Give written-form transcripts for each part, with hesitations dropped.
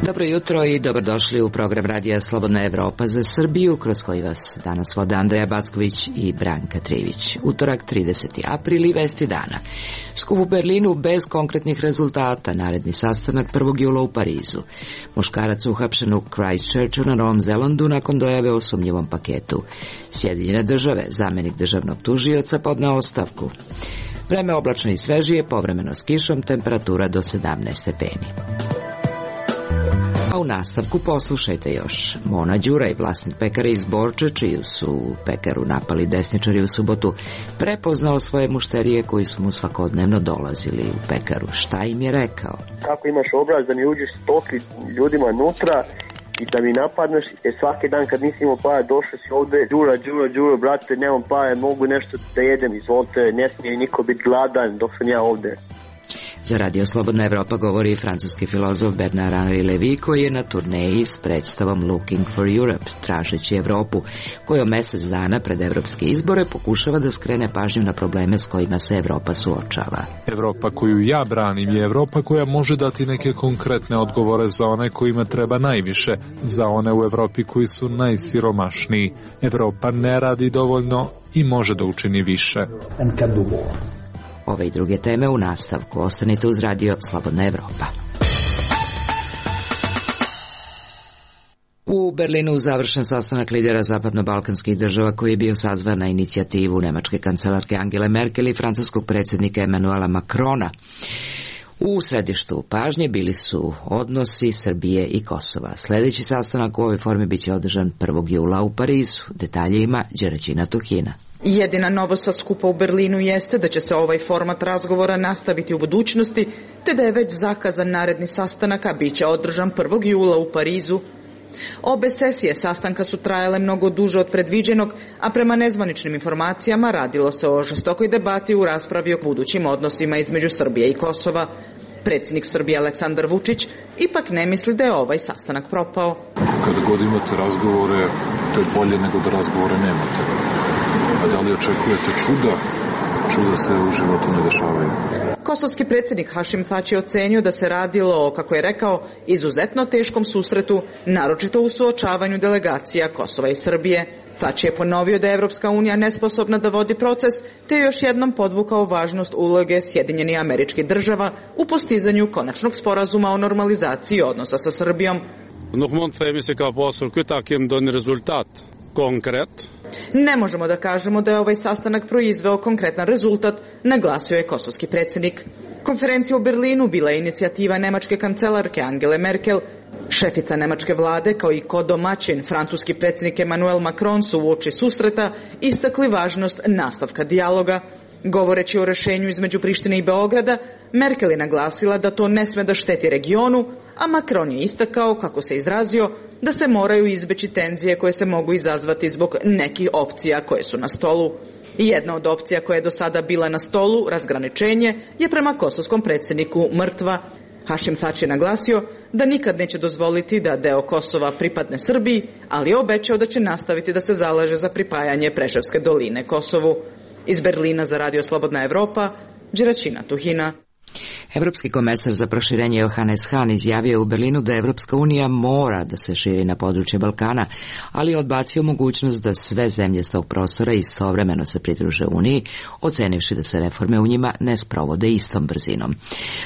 Dobro jutro i dobrodošli u program Radija Slobodna Evropa za Srbiju, kroz koji vas danas vode Andreja Backović i Branka Trivić. Utorak, 30. april i vesti dana. Skup u Berlinu bez konkretnih rezultata, naredni sastanak 1. jula u Parizu. Muškarac uhapšen u Christchurchu na Novom Zelandu nakon dojave o sumnjivom paketu. Sjedinjene države, zamenik državnog tužioca podneo ostavku. Vreme oblačno i svežije, povremeno s kišom, temperatura do 17 stepeni. A u nastavku poslušajte još. Mona Đuraj, vlasnik pekare iz Borče, čiju su pekaru napali desničari u subotu, prepoznao svoje mušterije koji su mu svakodnevno dolazili u pekaru. Šta im je rekao? Kako imaš obraz da mi uđeš stoki ljudima unutra i da mi napadneš, svaki dan kad nisi imao para došao si ovde, Đuro, brate, nemam para, mogu nešto da jedem, izvolite, ne smije niko biti gladan dok sam ja ovde. Za Radio Slobodna Evropa govori francuski filozof Bernard-Henri Lévy, koji je na turneji s predstavom Looking for Europe, tražeći Evropu, kojom mesec dana pred evropske izbore pokušava da skrene pažnju na probleme s kojima se Evropa suočava. Evropa koju ja branim je Evropa koja može dati neke konkretne odgovore za one kojima treba najviše, za one u Evropi koji su najsiromašniji. Evropa ne radi dovoljno i može da učini više. Ove i druge teme u nastavku. Ostanite uz Radio Slobodna Evropa. U Berlinu završen sastanak lidera zapadno-balkanskih država koji je bio sazvan na inicijativu nemačke kancelarke Angele Merkel i francuskog predsjednika Emmanuela Macrona. U središtu pažnje bili su odnosi Srbije i Kosova. Sljedeći sastanak u ovoj formi biće održan 1. jula u Parizu. Detalje ima Đeraćina Tuhina. Jedina novost sa skupa u Berlinu jeste da će se ovaj format razgovora nastaviti u budućnosti, te da je već zakazan naredni sastanak, a bit će održan 1. jula u Parizu. Obe sesije sastanka su trajale mnogo duže od predviđenog, a prema nezvaničnim informacijama radilo se o žestokoj debati u raspravi o budućim odnosima između Srbije i Kosova. Predsjednik Srbije Aleksandar Vučić ipak ne misli da je ovaj sastanak propao. Kada god imate razgovore, to je bolje nego da razgovore nemate. A da li očekujete čuda? Čuda se u životu ne dešavaju. Kosovski predsjednik Hašim Tači je ocenio da se radilo o, kako je rekao, izuzetno teškom susretu, naročito u suočavanju delegacija Kosova i Srbije. Tači je ponovio da je Evropska unija nesposobna da vodi proces, te je još jednom podvukao važnost uloge Sjedinjenih Američkih Država u postizanju konačnog sporazuma o normalizaciji odnosa sa Srbijom. Ne možemo da kažemo da je ovaj sastanak proizveo konkretan rezultat, naglasio je kosovski predsjednik. Konferencija u Berlinu bila je inicijativa nemačke kancelarke Angele Merkel. Šefica nemačke vlade, kao i kodomaćin francuski predsjednik Emmanuel Macron su uoči susreta istakli važnost nastavka dijaloga. Govoreći o rešenju između Prištine i Beograda, Merkel je naglasila da to ne sme da šteti regionu, a Macron je istakao, kako se izrazio, da se moraju izbeći tenzije koje se mogu izazvati zbog nekih opcija koje su na stolu. Jedna od opcija koja je do sada bila na stolu, razgraničenje, je prema kosovskom predsjedniku mrtva. Hašim Tači je naglasio da nikad neće dozvoliti da deo Kosova pripadne Srbiji, ali je obećao da će nastaviti da se zalaže za pripajanje Preševske doline Kosovu. Iz Berlina za Radio Slobodna Evropa, Đeraćina Tuhina. Evropski komesar za proširenje Johannes Hahn izjavio je u Berlinu da Evropska unija mora da se širi na područje Balkana, ali je odbacio mogućnost da sve zemlje s tog prostora istovremeno se pridruže Uniji, ocenivši da se reforme u njima ne sprovode istom brzinom.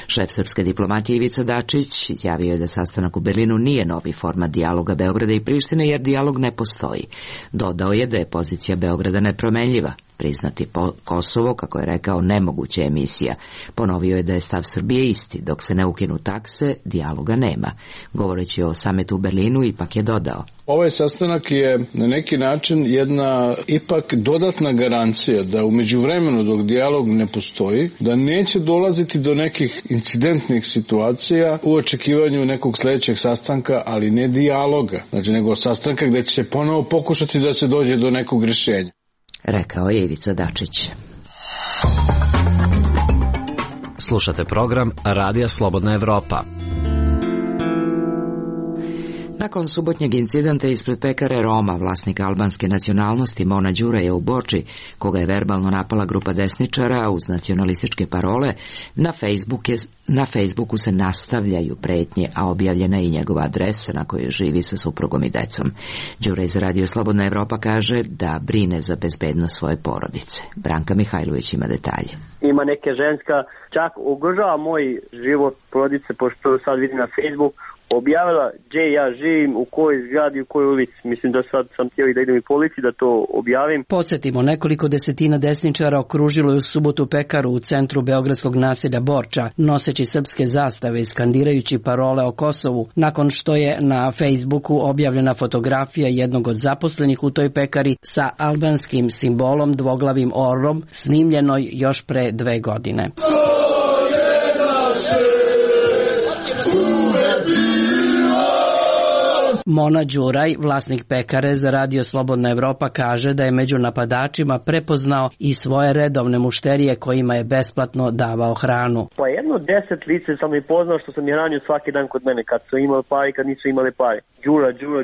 Šef srpske diplomatije Ivica Dačić izjavio je da sastanak u Berlinu nije novi format dijaloga Beograda i Prištine, jer dijalog ne postoji. Dodao je da je pozicija Beograda nepromenljiva. Priznati Kosovo, kako je rekao, nemoguća je misija. Ponovio je da je stav Srbije isti. Dok se ne ukinu takse, dijaloga nema. Govoreći o sametu u Berlinu, ipak je dodao: ovaj sastanak je na neki način jedna ipak dodatna garancija da u međuvremenu, dok dijalog ne postoji, da neće dolaziti do nekih incidentnih situacija u očekivanju nekog sljedećeg sastanka, ali ne dijaloga, znači nego sastanka gdje će se ponovo pokušati da se dođe do nekog rješenja. Rekao je Ivica Dačić. Slušate program Radija Slobodna Evropa. Nakon subotnjeg incidenta ispred pekare Roma, vlasnika albanske nacionalnosti Mona Đuraja u Borči, koga je verbalno napala grupa desničara uz nacionalističke parole, na Facebooku se nastavljaju pretnje, a objavljena je i njegova adresa na kojoj živi sa suprugom i decom. Đuraj za Radio Slobodna Evropa kaže da brine za bezbednost svoje porodice. Branka Mihajlović ima detalje. Ima neke ženska, čak ugrožava moj život porodice, pošto sad vidim na Facebook, objavila gdje ja živim, u kojoj zgradi, u kojoj ulici. Mislim da sad sam htio i da idem i policiji da to objavim. Podsjetimo, nekoliko desetina desničara okružilo je u subotu pekaru u centru beogradskog naselja Borča, noseći srpske zastave i skandirajući parole o Kosovu, nakon što je na Facebooku objavljena fotografija jednog od zaposlenih u toj pekari sa albanskim simbolom dvoglavim orlom, snimljenoj još pre 2 godine. Mona Đuraj, vlasnik pekare za Radio Slobodna Evropa, kaže da je među napadačima prepoznao i svoje redovne mušterije kojima je besplatno davao hranu. Pa 10 lice sam i poznao što sam je hranio svaki dan kod mene, kad su imali pare i kad nisu imali pare.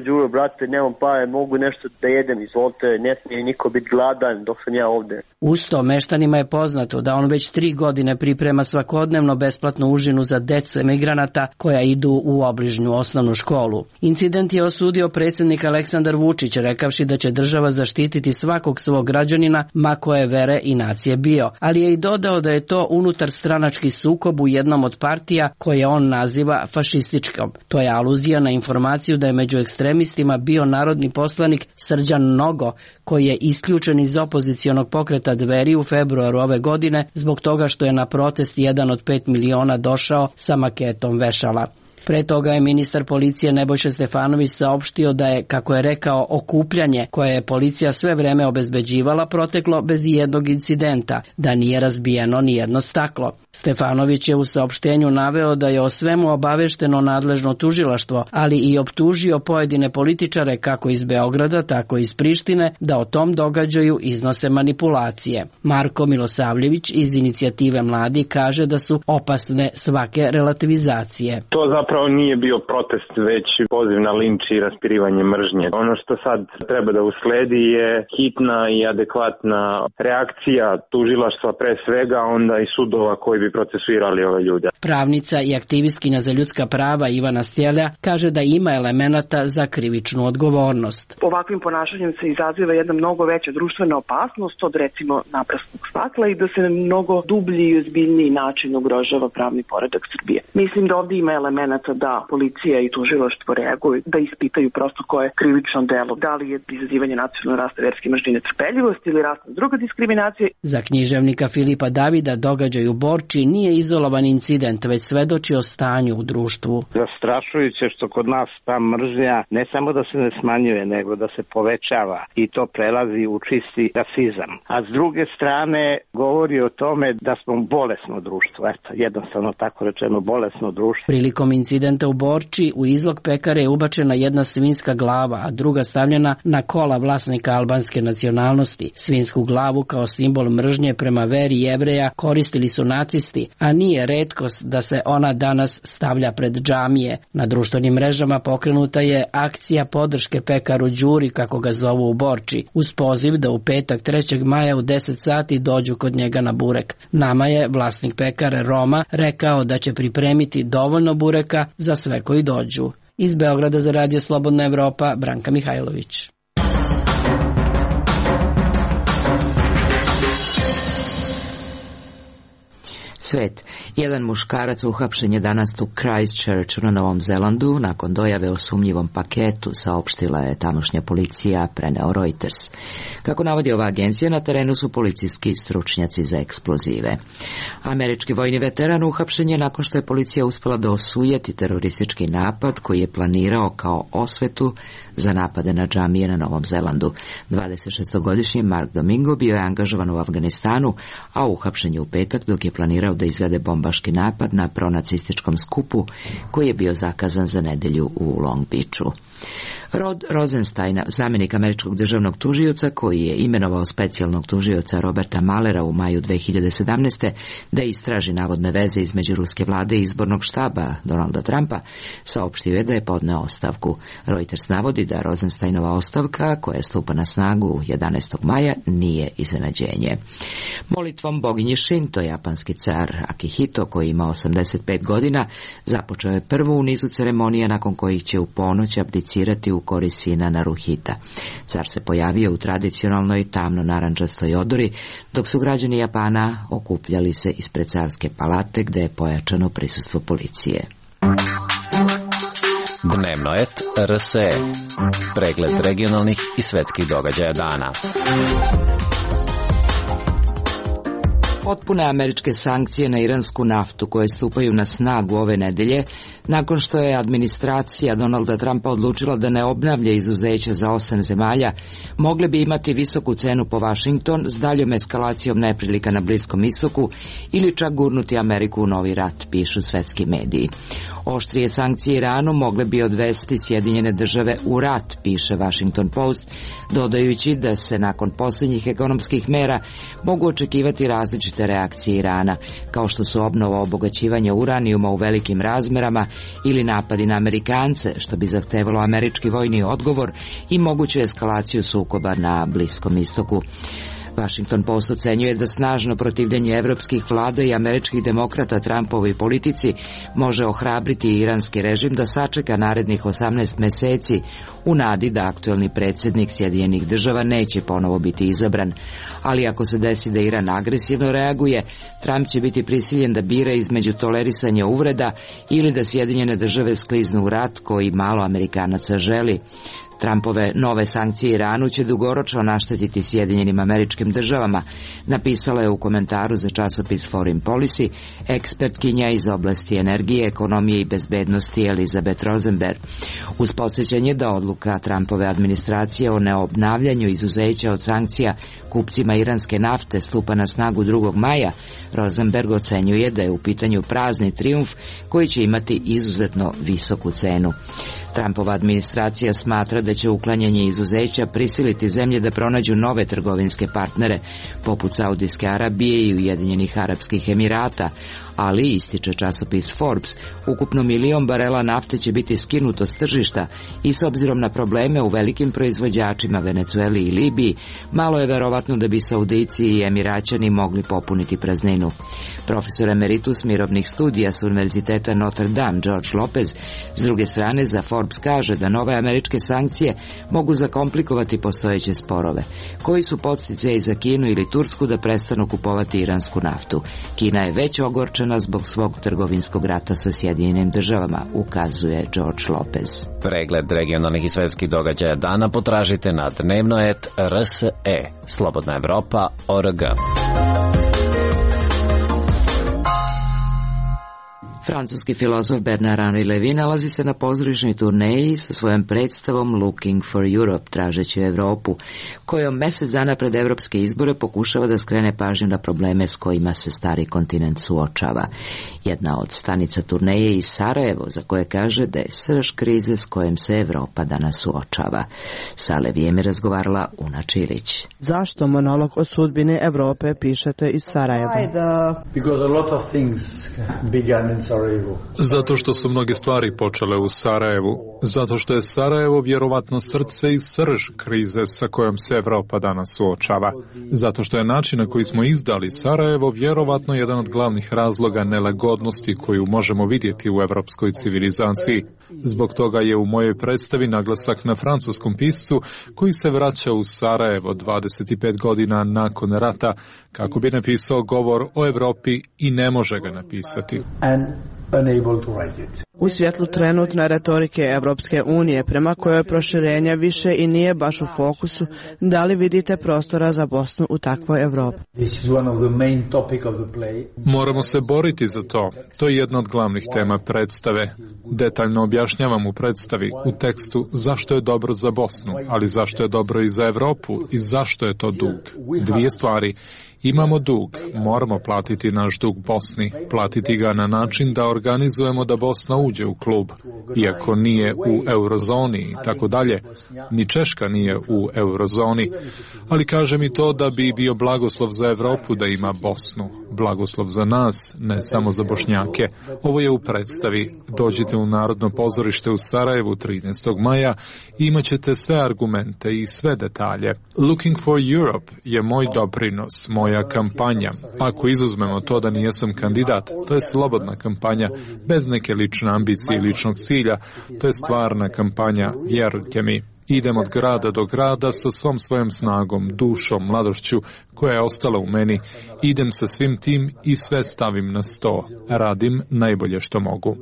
Đuro, brate, nemam pare, mogu nešto da jedem, izvolite, ne smije niko biti gladan dok sam ja ovde. Usto, meštanima je poznato da on već 3 godine priprema svakodnevno besplatnu užinu za decu emigranata koja idu u obližnju osnovnu školu. Incident je osudio predsjednik Aleksandar Vučić, rekavši da će država zaštititi svakog svog građanina, ma koje vere i nacije bio, ali je i dodao da je to unutar stranački sukob u jednom od partija koje on naziva fašističkom. To je aluzija na informaciju da je među ekstremistima bio narodni poslanik Srđan Nogo, koji je isključen iz opozicionog pokreta Dveri u februaru ove godine zbog toga što je na protest jedan od 5 miliona došao sa maketom vešala. Pre toga je ministar policije Nebojša Stefanović saopštio da je, kako je rekao, okupljanje koje je policija sve vreme obezbeđivala proteklo bez jednog incidenta, da nije razbijeno ni jedno staklo. Stefanović je u saopštenju naveo da je o svemu obavešteno nadležno tužilaštvo, ali i optužio pojedine političare kako iz Beograda, tako i iz Prištine da o tom događaju iznose manipulacije. Marko Milosavljević iz Inicijative Mladi kaže da su opasne svake relativizacije. To zapravo nije bio protest, već poziv na linč i raspirivanje mržnje. Ono što sad treba da usledi je hitna i adekvatna reakcija tužilaštva pre svega, onda i sudova koji bi procesuirali ove ljude. Pravnica i aktivistkinja za ljudska prava Ivana Stjelja kaže da ima elemenata za krivičnu odgovornost. Ovakvim ponašanjem se izaziva jedna mnogo veća društvena opasnost od recimo naprasnog stakla i da se na mnogo dublji i ozbiljniji način ugrožava pravni poredak Srbije. Mislim da ovdje ima elemenata da policija i tužilaštvo reaguju, da ispitaju prosto koje je krivično delo, da li je izazivanje nacionalne rasta verske mržnje netrpeljivosti ili rasna druga diskriminacija. Za književnika Filipa Davida događaj u Borči nije izolovan incident, već svedoči o stanju u društvu. Zastrašujuće što kod nas ta mržnja ne samo da se ne smanjuje, nego da se povećava i to prelazi u čisti rasizam. A s druge strane govori o tome da smo bolesno društvo, jednostavno tako rečeno bolesno društvo. Prilikom incidenta u Borči u izlog pekare je ubačena jedna svinjska glava, a druga stavljena na kola vlasnika albanske nacionalnosti. Svinjsku glavu kao simbol mržnje prema veri Jevreja koristili su nacisti, a nije retkost da se ona danas stavlja pred džamije. Na društvenim mrežama pokrenuta je akcija podrške pekaru Đuri, kako ga zovu u Borči, uz poziv da u petak 3. maja u 10 sati dođu kod njega na burek. Nama je vlasnik pekare Roma rekao da će pripremiti dovoljno bureka za sve koji dođu. Iz Beograda za Radio Slobodna Evropa, Branka Mihajlović. Svet. Jedan muškarac uhapšen je danas u Christchurchu na Novom Zelandu nakon dojave o sumnjivom paketu, saopštila je tamošnja policija, preneo Reuters. Kako navodi ova agencija, na terenu su policijski stručnjaci za eksplozive. Američki vojni veteran uhapšen je nakon što je policija uspela da osujeti teroristički napad koji je planirao kao osvetu za napade na džamije na Novom Zelandu. 26-godišnji Mark Domingo bio je angažovan u Afganistanu, a uhapšen je u petak dok je planirao da izvede bombaški napad na pronacističkom skupu koji je bio zakazan za nedelju u Long Beachu. Rod Rosensteina, zamjenik američkog državnog tužioca koji je imenovao specijalnog tužioca Roberta Muellera u maju 2017. da istraži navodne veze između ruske vlade i izbornog štaba Donalda Trumpa, saopštio je da je podneo ostavku. Reuters navodi da Rosensteinova ostavka, koja stupa na snagu 11. maja, nije iznenađenje. Molitvom boginje Shinto, japanski car Akihito, koji ima 85 godina, započeo je prvu u nizu ceremonija nakon kojih će u ponoć abdicirati u korist sina Naruhita. Car se pojavio u tradicionalnoj tamno-narančastoj odori, dok su građani Japana okupljali se ispred carske palate gde je pojačano prisustvo policije. Dnevnoet RSE. Pregled regionalnih i svetskih događaja dana. Potpune američke sankcije na iransku naftu koje stupaju na snagu ove nedelje, nakon što je administracija Donalda Trumpa odlučila da ne obnavlja izuzeća za 8 zemalja, mogle bi imati visoku cenu po Washington s daljom eskalacijom neprilika na Bliskom istoku ili čak gurnuti Ameriku u novi rat, pišu svetski mediji. Oštrije sankcije Iranu mogle bi odvesti Sjedinjene države u rat, piše Washington Post, dodajući da se nakon posljednjih ekonomskih mera mogu očekivati različite reakcije Irana, kao što su obnova obogaćivanja uranijuma u velikim razmerama ili napadi na Amerikance, što bi zahtevalo američki vojni odgovor i moguću eskalaciju sukoba na Bliskom istoku. Washington Post ocenjuje da snažno protivljenje evropskih vlada i američkih demokrata Trumpovoj politici može ohrabriti iranski režim da sačeka narednih 18 meseci u nadi da aktuelni predsjednik Sjedinjenih država neće ponovo biti izabran. Ali ako se desi da Iran agresivno reaguje, Trump će biti prisiljen da bira između tolerisanja uvreda ili da Sjedinjene države skliznu u rat koji malo Amerikanaca želi. Trumpove nove sankcije Iranu će dugoročno naštetiti Sjedinjenim Američkim Državama, napisala je u komentaru za časopis Foreign Policy ekspertkinja iz oblasti energije, ekonomije i bezbednosti Elizabeth Rosenberg. Uz podsjećanje da odluka Trumpove administracije o neobnavljanju izuzeća od sankcija kupcima iranske nafte stupa na snagu 2. maja, Rosenberg ocenjuje da je u pitanju prazni trijumf koji će imati izuzetno visoku cenu. Trumpova administracija smatra da će uklanjanje izuzeća prisiliti zemlje da pronađu nove trgovinske partnere, poput Saudijske Arabije i Ujedinjenih Arapskih Emirata, ali, ističe časopis Forbes, ukupno 1 milion barela nafte će biti skinuto s tržišta i s obzirom na probleme u velikim proizvođačima Venecueli i Libiji, malo je verovatno da bi Saudijci i Emiraćani mogli popuniti prazninu. Profesor emeritus mirovnih studija s Univerziteta Notre Dame George Lopez s druge strane za Forbes kaže da nove američke sankcije mogu zakomplikovati postojeće sporove, koji su podsticaji za Kinu ili Tursku da prestanu kupovati iransku naftu. Kina je već ogorčena zbog svog trgovinskog rata sa Sjedinjenim državama, ukazuje George Lopez. Pregled regionalnih i svetskih događaja dana potražite na Dnevnoet RSE, Slobodna Evropa.org. Francuski filozof Bernard-Henri Lévy nalazi se na pozorišnoj turneji sa svojom predstavom Looking for Europe, tražeći Evropu, kojom mjesec dana pred evropske izbore pokušava da skrene pažnju na probleme s kojima se stari kontinent suočava. Jedna od stanica turneje je Sarajevo, za koje kaže da je srž krize s kojom se Evropa danas suočava. Sa Levijem je razgovarala Una Čilić. Zašto monolog o sudbini Evrope pišete iz Sarajeva? Because a lot of things began in Sarajevo. Zato što su mnoge stvari počele u Sarajevu. Zato što je Sarajevo vjerovatno srce i srž krize sa kojom se Evropa danas suočava. Zato što je način na koji smo izdali Sarajevo vjerovatno jedan od glavnih razloga nelagodnosti koju možemo vidjeti u evropskoj civilizaciji. Zbog toga je u mojoj predstavi naglasak na francuskom piscu koji se vraća u Sarajevo 25 godina nakon rata kako bi napisao govor o Evropi i ne može ga napisati. U svjetlu trenutne retorike Evropske unije, prema kojoj proširenje više i nije baš u fokusu, da li vidite prostora za Bosnu u takvoj Evropi? Moramo se boriti za to. To je jedna od glavnih tema predstave. Detaljno objašnjavam u predstavi, u tekstu, zašto je dobro za Bosnu, ali zašto je dobro i za Evropu i zašto je to dug. Dvije stvari. Imamo dug, moramo platiti naš dug Bosni, platiti ga na način da organizujemo da Bosna uđe u klub, iako nije u eurozoni i tako dalje. Ni Češka nije u eurozoni, ali kaže mi to da bi bio blagoslov za Evropu da ima Bosnu. Blagoslov za nas, ne samo za Bošnjake. Ovo je u predstavi. Dođite u Narodno pozorište u Sarajevu 13. maja i imat ćete sve argumente i sve detalje. Looking for Europe je moj doprinos, moja kampanja. Ako izuzmemo to da nijesam kandidat, to je slobodna kampanja, bez neke lične ambicije i ličnog cilja. To je stvarna kampanja, vjerujte mi. Idem od grada do grada sa svom svojom snagom, dušom, mladošću koja je ostala u meni. Idem sa svim tim i sve stavim na sto. Radim najbolje što mogu.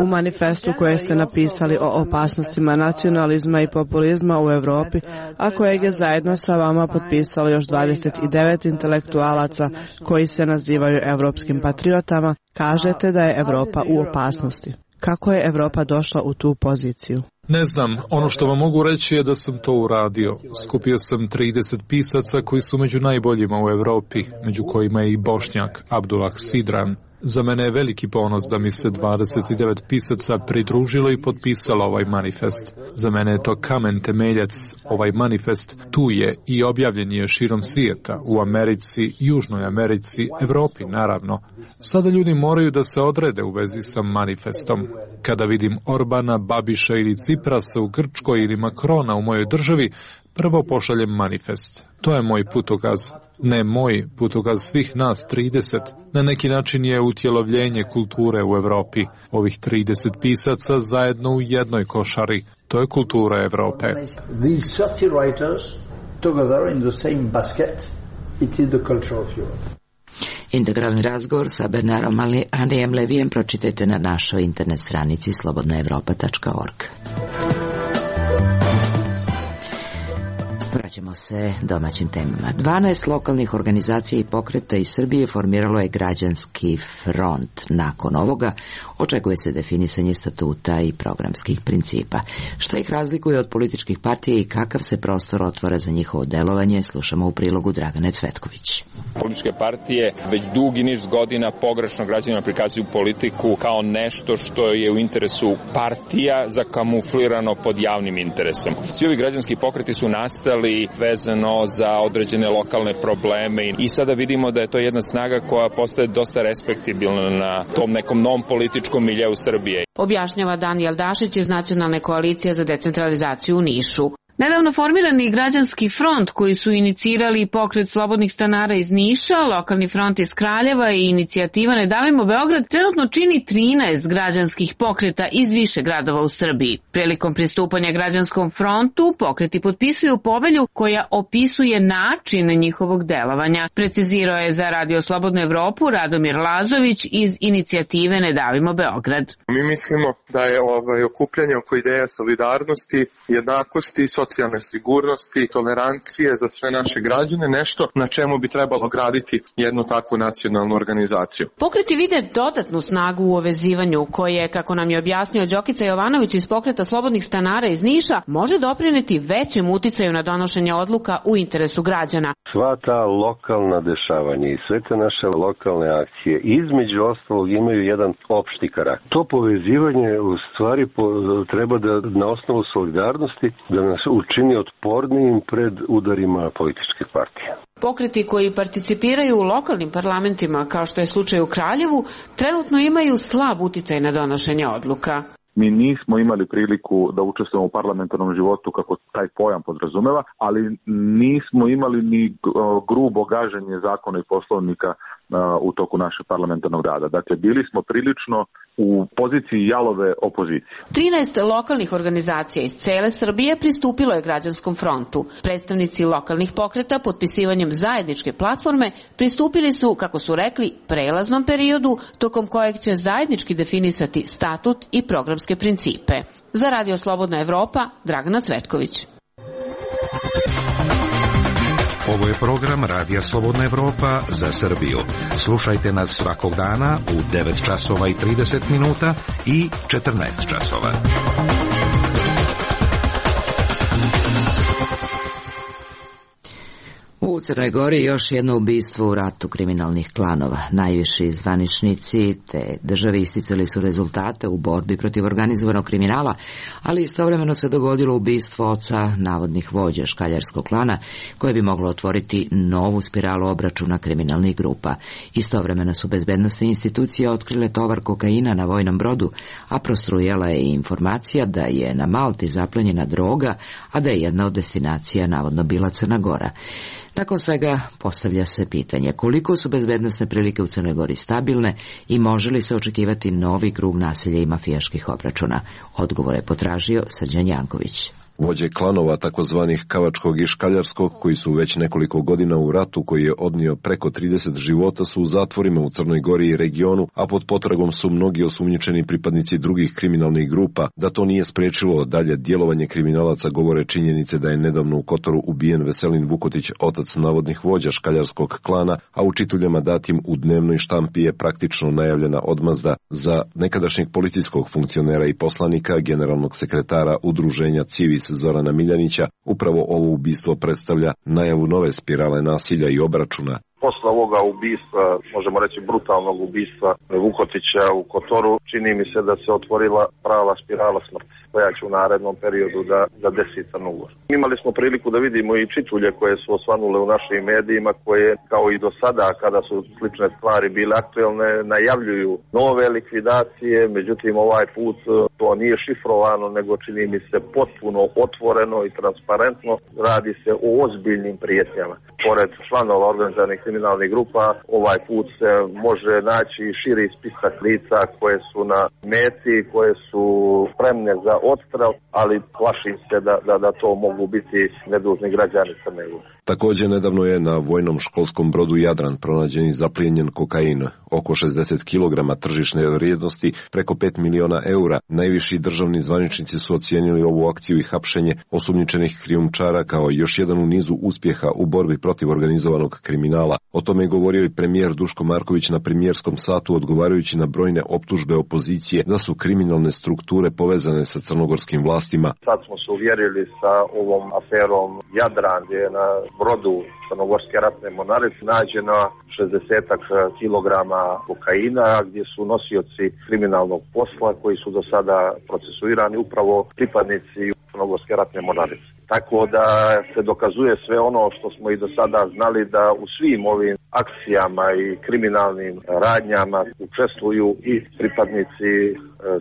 U manifestu koje ste napisali o opasnostima nacionalizma i populizma u Evropi, a kojeg je zajedno sa vama potpisalo još 29 intelektualaca koji se nazivaju evropskim patriotama, kažete da je Evropa u opasnosti. Kako je Evropa došla u tu poziciju? Ne znam, ono što vam mogu reći je da sam to uradio. Skupio sam 30 pisaca koji su među najboljima u Evropi, među kojima je i Bošnjak Abdullah Sidran. Za mene je veliki ponos da mi se 29 pisaca pridružilo i potpisalo ovaj manifest. Za mene je to kamen temeljac, ovaj manifest tu je i objavljen je širom svijeta, u Americi, Južnoj Americi, Evropi naravno. Sada ljudi moraju da se odrede u vezi sa manifestom. Kada vidim Orbana, Babiša ili Ciprasa u Grčkoj ili Makrona u mojoj državi, prvo pošaljem manifest. To je moj putokaz. Ne moj, putokaz svih nas 30. Na neki način je utjelovljenje kulture u Evropi. Ovih 30 pisaca zajedno u jednoj košari. To je kultura Evrope. These 30 writers together in the same basket, it is the culture of Europe. Integralni razgovor sa Bernardom Henrijem Levijem pročitajte na našoj internet stranici slobodnaevropa.org. Vraćamo se domaćim temama. 12 lokalnih organizacija i pokreta iz Srbije formiralo je građanski front. Nakon ovoga očekuje se definisanje statuta i programskih principa. Šta ih razlikuje od političkih partija i kakav se prostor otvara za njihovo delovanje, slušamo u prilogu Dragane Cvetković. Političke partije već dugi niz godina pogrešno građanima prikazuju politiku kao nešto što je u interesu partija zakamuflirano pod javnim interesom. Svi ovi građanski pokreti su nastali vezano za određene lokalne probleme i sada vidimo da je to jedna snaga koja postaje dosta respektibilna na tom nekom novom političkom miljeu Srbije. Objašnjava Danijel Dašić iz Nacionalne koalicije za decentralizaciju u Nišu. Nedavno formirani građanski front koji su inicirali pokret slobodnih stanara iz Niša, lokalni front iz Kraljeva i inicijativa Ne davimo Beograd trenutno čini 13 građanskih pokreta iz više gradova u Srbiji. Prilikom pristupanja građanskom frontu pokreti potpisuju povelju koja opisuje način njihovog delovanja. Precizirao je za Radio Slobodnu Evropu Radomir Lazović iz inicijative Ne davimo Beograd. Mi mislimo da je okupljanje oko ideja solidarnosti, jednakosti, socijalne sigurnosti, tolerancije za sve naše građane, nešto na čemu bi trebalo graditi jednu takvu nacionalnu organizaciju. Pokreti vide dodatnu snagu u uvezivanju koje, kako nam je objasnio Đokica Jovanović iz pokreta slobodnih stanara iz Niša, može doprineti većem uticaju na donošenje odluka u interesu građana. Sva ta lokalna dešavanja i sve te naše lokalne akcije između ostalog imaju jedan opšti karakter. To povezivanje u stvari treba da na osnovu solidarnosti da nas učini otpornijim pred udarima političkih partija. Pokreti koji participiraju u lokalnim parlamentima, kao što je slučaj u Kraljevu, trenutno imaju slab uticaj na donošenje odluka. Mi nismo imali priliku da učestvujemo u parlamentarnom životu kako taj pojam podrazumeva, ali nismo imali ni grubo gaženje zakona i poslovnika u toku našeg parlamentarnog rada. Dakle, bili smo prilično u poziciji jalove opozicije. 13 lokalnih organizacija iz cele Srbije pristupilo je građanskom frontu. Predstavnici lokalnih pokreta potpisivanjem zajedničke platforme pristupili su, kako su rekli, prelaznom periodu tokom kojeg će zajednički definisati statut i programske principe. Za Radio Slobodna Evropa, Dragana Cvetković. Ovo je program Radija Slobodna Evropa za Srbiju. Slušajte nas svakog dana u 9 časova i 30 minuta i 14 časova. U Crnoj Gori još jedno ubistvo u ratu kriminalnih klanova. Najviši zvaničnici te države isticali su rezultate u borbi protiv organizovanog kriminala, ali istovremeno se dogodilo ubistvo oca navodnih vođa škaljarskog klana, koje bi moglo otvoriti novu spiralu obračuna kriminalnih grupa. Istovremeno su bezbednosne institucije otkrile tovar kokaina na vojnom brodu, a prostrujala je i informacija da je na Malti zaplenjena droga, a da je jedna od destinacija navodno bila Crna Gora. Nakon svega postavlja se pitanje koliko su bezbednosne prilike u Crnoj Gori stabilne i može li se očekivati novi krug nasilja i mafijaških obračuna. Odgovor je potražio Srđan Janković. Vođe klanova takozvanih Kavačkog i Škaljarskog, koji su već nekoliko godina u ratu koji je odnio preko 30 života, su u zatvorima u Crnoj Gori i regionu, a pod potragom su mnogi osumnjičeni pripadnici drugih kriminalnih grupa. Da to nije sprečilo dalje djelovanje kriminalaca govore činjenice da je nedavno u Kotoru ubijen Veselin Vukotić, otac navodnih vođa Škaljarskog klana, a u čituljama datim u dnevnoj štampi je praktično najavljena odmazda za nekadašnjeg policijskog funkcionera i poslanika, generalnog sekretara udruženja Civis Zorana Miljanića. Upravo ovo ubistvo predstavlja najavu nove spirale nasilja i obračuna. Posle ovoga ubistva, možemo reći brutalnog ubistva Vukotića u Kotoru, čini mi se da se otvorila prava spirala smrti, koja će u narednom periodu da desi Crnogor. Imali smo priliku da vidimo i čitulje koje su osvanule u našim medijima, koje kao i do sada, kada su slične stvari bile aktuelne, najavljuju nove likvidacije, međutim ovaj put to nije šifrovano, nego čini mi se potpuno otvoreno i transparentno. Radi se o ozbiljnim prijetnjama. Pored članova organizovanih kriminalnih grupa, ovaj put se može naći širi spisak lica koje su na meti, koje su spremne za odstrel, ali plašim se da to mogu biti nedužni građani Crne Gore. Također nedavno je na vojnom školskom brodu Jadran pronađen i zaplijenjen kokain, oko 60 kg tržišne vrijednosti, preko 5 miliona eura. Najviši državni zvaničnici su ocijenili ovu akciju i hapšenje osumnjičenih krijumčara kao još jedan u nizu uspjeha u borbi protiv organizovanog kriminala. O tome je govorio i premijer Duško Marković na premijerskom satu, odgovarajući na brojne optužbe opozicije da su kriminalne strukture povezane sa crnogorskim vlastima. Sad smo se uvjerili sa ovom aferom Jadran, gdje je na brodu Crnogorske ratne mornarice nađena 60 kilograma kokaina, gdje su nosioci kriminalnog posla koji su do sada procesuirani upravo pripadnici Crnogorske ratne mornarice. Tako da se dokazuje sve ono što smo i do sada znali, da u svim ovim akcijama i kriminalnim radnjama učestvuju i pripadnici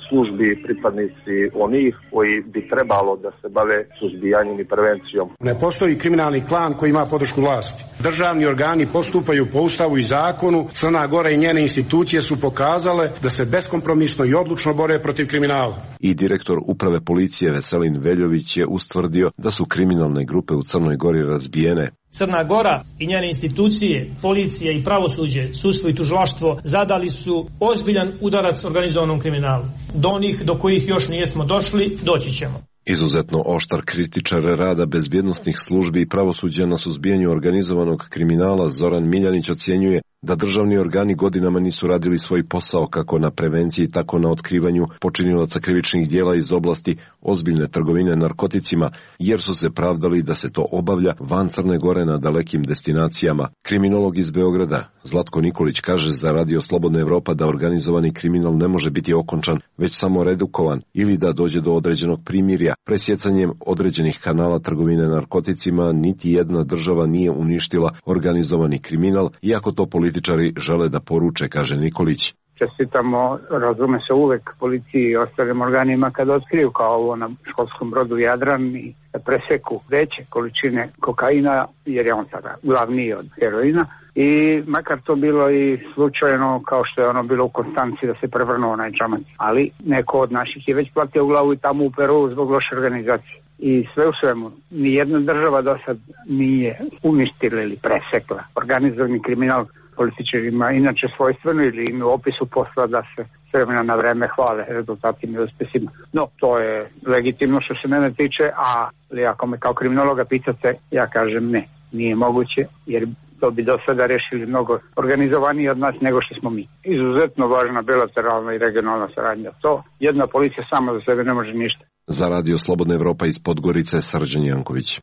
službi, pripadnici onih koji bi trebalo da se bave suzbijanjem i prevencijom. Ne postoji kriminalni klan koji ima podršku vlasti. Državni organi postupaju po ustavu i zakonu. Crna Gora i njene institucije su pokazale da se beskompromisno i odlučno bore protiv kriminala. I direktor uprave policije Veselin Veljović je ustvrdio da su kriminalne grupe u Crnoj Gori razbijene. Crna Gora i njene institucije, policija i pravosuđe, sudstvo i tužilaštvo zadali su ozbiljan udarac organizovanom kriminalu. Do onih do kojih još nijesmo došli, doći ćemo. Izuzetno oštar kritičar rada bezbjednosnih službi i pravosuđa na suzbijanju organizovanog kriminala Zoran Miljanić ocjenjuje da državni organi godinama nisu radili svoj posao kako na prevenciji, tako na otkrivanju počinilaca krivičnih dijela iz oblasti ozbiljne trgovine narkoticima, jer su se pravdali da se to obavlja van Crne Gore na dalekim destinacijama. Kriminolog iz Beograda Zlatko Nikolić kaže za Radio Slobodna Evropa da organizovani kriminal ne može biti okončan, već samo redukovan ili da dođe do određenog primirja. Presjecanjem određenih kanala trgovine narkoticima niti jedna država nije uništila organizovani kriminal, iako to političari žele da poruče, kaže Nikolić. Čestitamo, razume se, uvek policiji i ostalim organima kada otkriju kao ovo na školskom brodu Jadran i preseku veće količine kokaina, jer je on sada glavniji od heroina. I makar to bilo i slučajno, kao što je ono bilo u Konstanci da se prevrnuo onaj čamac. Ali neko od naših je već platio u glavu i tamo u Peru zbog loše organizacije. I sve u svemu, nijedna država do sad nije uništila ili presekla organizovani kriminal. Političarima inače svojstveno ili im u opisu posla da se s vremena na vreme hvale rezultatima i uspjesima. No, to je legitimno što se mene tiče, ali ako me kao kriminologa pitate, ja kažem ne, nije moguće, jer to bi do sada rešili mnogo organizovaniji od nas nego što smo mi. Izuzetno važna bilateralna i regionalna saradnja. To jedna policija sama za sebe ne može ništa. Za Radio Slobodna Evropa iz Podgorice, Srđan Janković.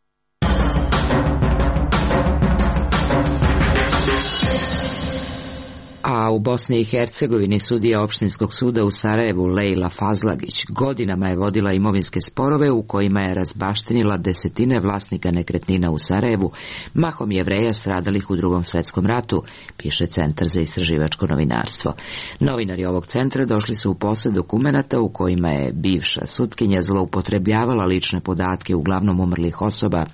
A u Bosni i Hercegovini sudija opštinskog suda u Sarajevu Lejla Fazlagić godinama je vodila imovinske sporove u kojima je razbaštinila desetine vlasnika nekretnina u Sarajevu, mahom Jevreja stradalih u Drugom svetskom ratu, piše Centar za istraživačko novinarstvo. Novinari ovog centra došli su u posed dokumenata u kojima je bivša sutkinja zloupotrebljavala lične podatke uglavnom umrlih osoba,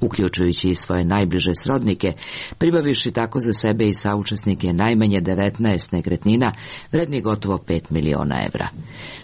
uključujući i svoje najbliže srodnike, pribavivši tako za sebe i saučesnike najmanje 19 nekretnina, vredni gotovo 5 miliona evra.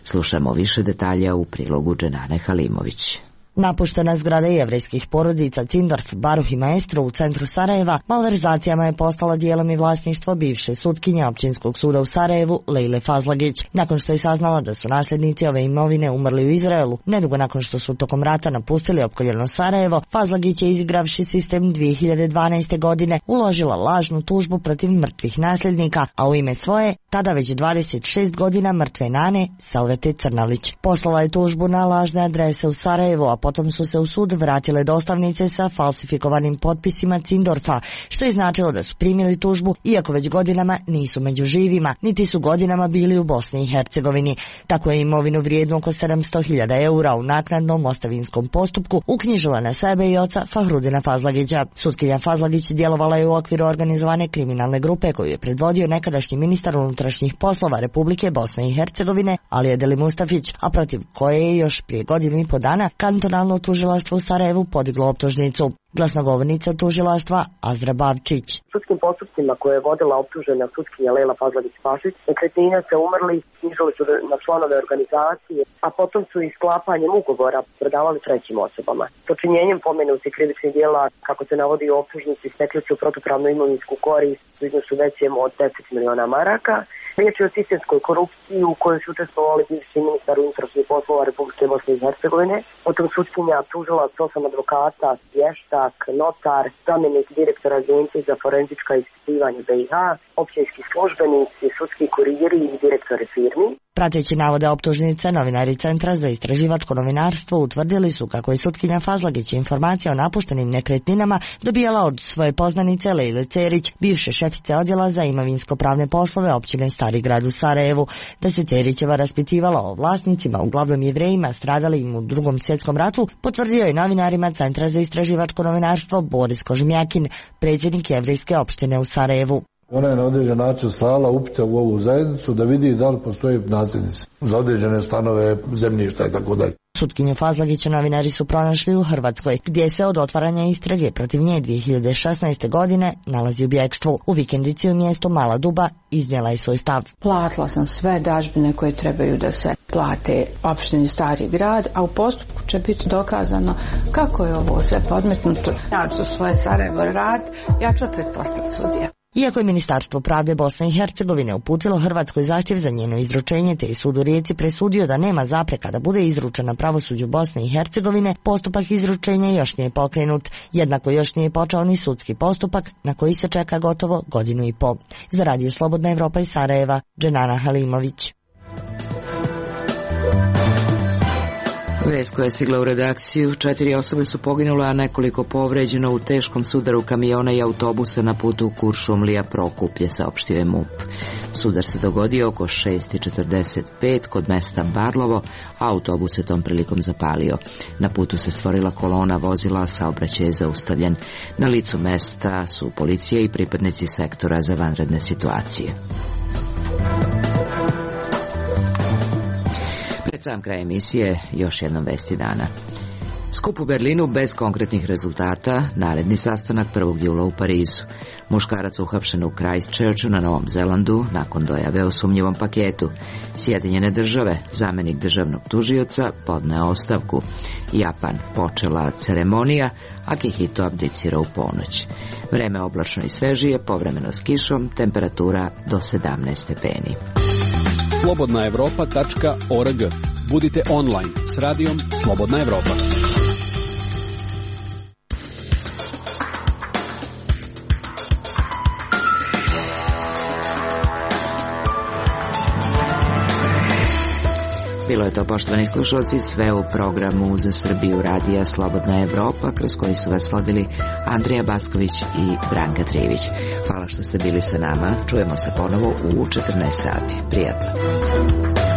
Slušamo više detalja u prilogu Dženane Halimović. Napuštena zgrada jevrejskih porodica Cindorf, Baruh i Maestro u centru Sarajeva malverzacijama je postala dijelom i vlasništvo bivše sutkinje općinskog suda u Sarajevu Lejle Fazlagić. Nakon što je saznala da su nasljednici ove imovine umrli u Izraelu, nedugo nakon što su tokom rata napustili opkoljeno Sarajevo, Fazlagić je, izigravši sistem 2012. godine, uložila lažnu tužbu protiv mrtvih nasljednika, a u ime svoje, tada već 26 godina mrtve nane, Salvete Crnalić. Poslala je tužbu na lažne adrese u Sarajevu, a potom su se u sud vratile dostavnice sa falsifikovanim potpisima Cindorfa, što je značilo da su primili tužbu, iako već godinama nisu među živima, niti su godinama bili u Bosni i Hercegovini. Tako je imovinu vrijednu oko 700.000 eura u naknadnom ostavinskom postupku uknjižila na sebe i oca Fahrudina Fazlagića. Sutkinja Fazlagić djelovala je u okviru organizovane kriminalne grupe koju je predvodio nekadašnji ministar unutrašnjih poslova Republike Bosne i Hercegovine Alija Deli Mustafić, a protiv koje je još prije godinu i po dana kantonalno tužilaštvo u Sarajevu podiglo optužnicu. Glasnogovornica tužilaštva Azra Bavčić. Sudskim postupcima koje je vodila optužena sutkinja Lejla Fazlagić-Pašić, nekretnine se umrli, knjižili su na članove organizacije, a potom su i sklapanjem ugovora prodavali trećim osobama. Počinjenjem pomenutih krivičnih djela, kako se navodi u optužnici, stekli su protupravnu imovinsku korist u iznosu većem od 10 miliona maraka. Riječ je o sistemskoj korupciji u kojoj su učestvovali bivši ministar unutrašnjih poslova Republike Bosne i Hercegovine, potom sutkinja tužilac, 8 advokata, vještak, notar, zamjenik direktora Agencije za forenzička ispitivanja BiH, općinski službenici, sudski kurijeri i direktori firmi. Prateći navode optužnice, novinari Centra za istraživačko novinarstvo utvrdili su kako je sutkinja Fazlagić informacije o napuštenim nekretninama dobijala od svoje poznanice Lejle Cerić, bivše šefice odjela za imovinsko-pravne poslove općine Stari grad u Sarajevu, da se Cerićeva raspitivala o vlasnicima, uglavnom Jevrejima stradalim u Drugom svjetskom ratu, potvrdio je novinarima Centra za istraživačko novinarstvo Boris Kožemjakin, predsjednik jevrejske opštine u Sarajevu. Ona je na određen način slala upite u ovu zajednicu da vidi da li postoje nasljednici za određene stanove, zemljišta i tako dalje. Sutkinju Fazlagića novinari su pronašli u Hrvatskoj, gdje se od otvaranja istrage protiv nje 2016. godine nalazi u bjekstvu. U vikendici u mjestu Mala Duba iznijela je svoj stav. Platila sam sve dažbine koje trebaju da se plate opštini Stari grad, a u postupku će biti dokazano kako je ovo sve podmetnuto. Ja ću svoje Sarajevo rad, ja ću opet postati sudija. Iako je Ministarstvo pravde Bosne i Hercegovine uputilo Hrvatskoj zahtjev za njeno izručenje, te je sud u Rijeci presudio da nema zapreka da bude izručena pravosuđu Bosne i Hercegovine, postupak izručenja još nije pokrenut. Jednako još nije počeo ni sudski postupak, na koji se čeka gotovo godinu i po. Za Radio Slobodna Evropa iz Sarajeva, Dženana Halimović. Vest koja je stigla u redakciju, 4 osobe su poginule, a nekoliko povređeno u teškom sudaru kamiona i autobusa na putu Kuršumlija Prokuplje, saopštio je MUP. Sudar se dogodio oko 6:45 kod mesta Barlovo, a autobus se tom prilikom zapalio. Na putu se stvorila kolona vozila, saobraćaj je zaustavljen. Na licu mesta su policija i pripadnici sektora za vanredne situacije. Pred sam kraj emisije još jednom vesti dana. Skup u Berlinu bez konkretnih rezultata, naredni sastanak 1. jula u Parizu. Muškarac uhapšen u Christchurchu na Novom Zelandu nakon dojave o sumnjivom paketu. Sjedinjene države, zamjenik državnog tužioca, podneo ostavku. Japan, počela ceremonija, Akihito abdicira u ponoć. Vreme oblačno i svežije, povremeno s kišom, temperatura do 17 stepeni. slobodnaevropa.org. Budite online s radijom Slobodna Evropa. Bilo je to, poštovani slušalci, sve u programu Za Srbiju radija Slobodna Evropa, kroz koji su vas vodili Andrija Backović i Branka Trivić. Hvala što ste bili sa nama. Čujemo se ponovo u 14 sati. Prijatno.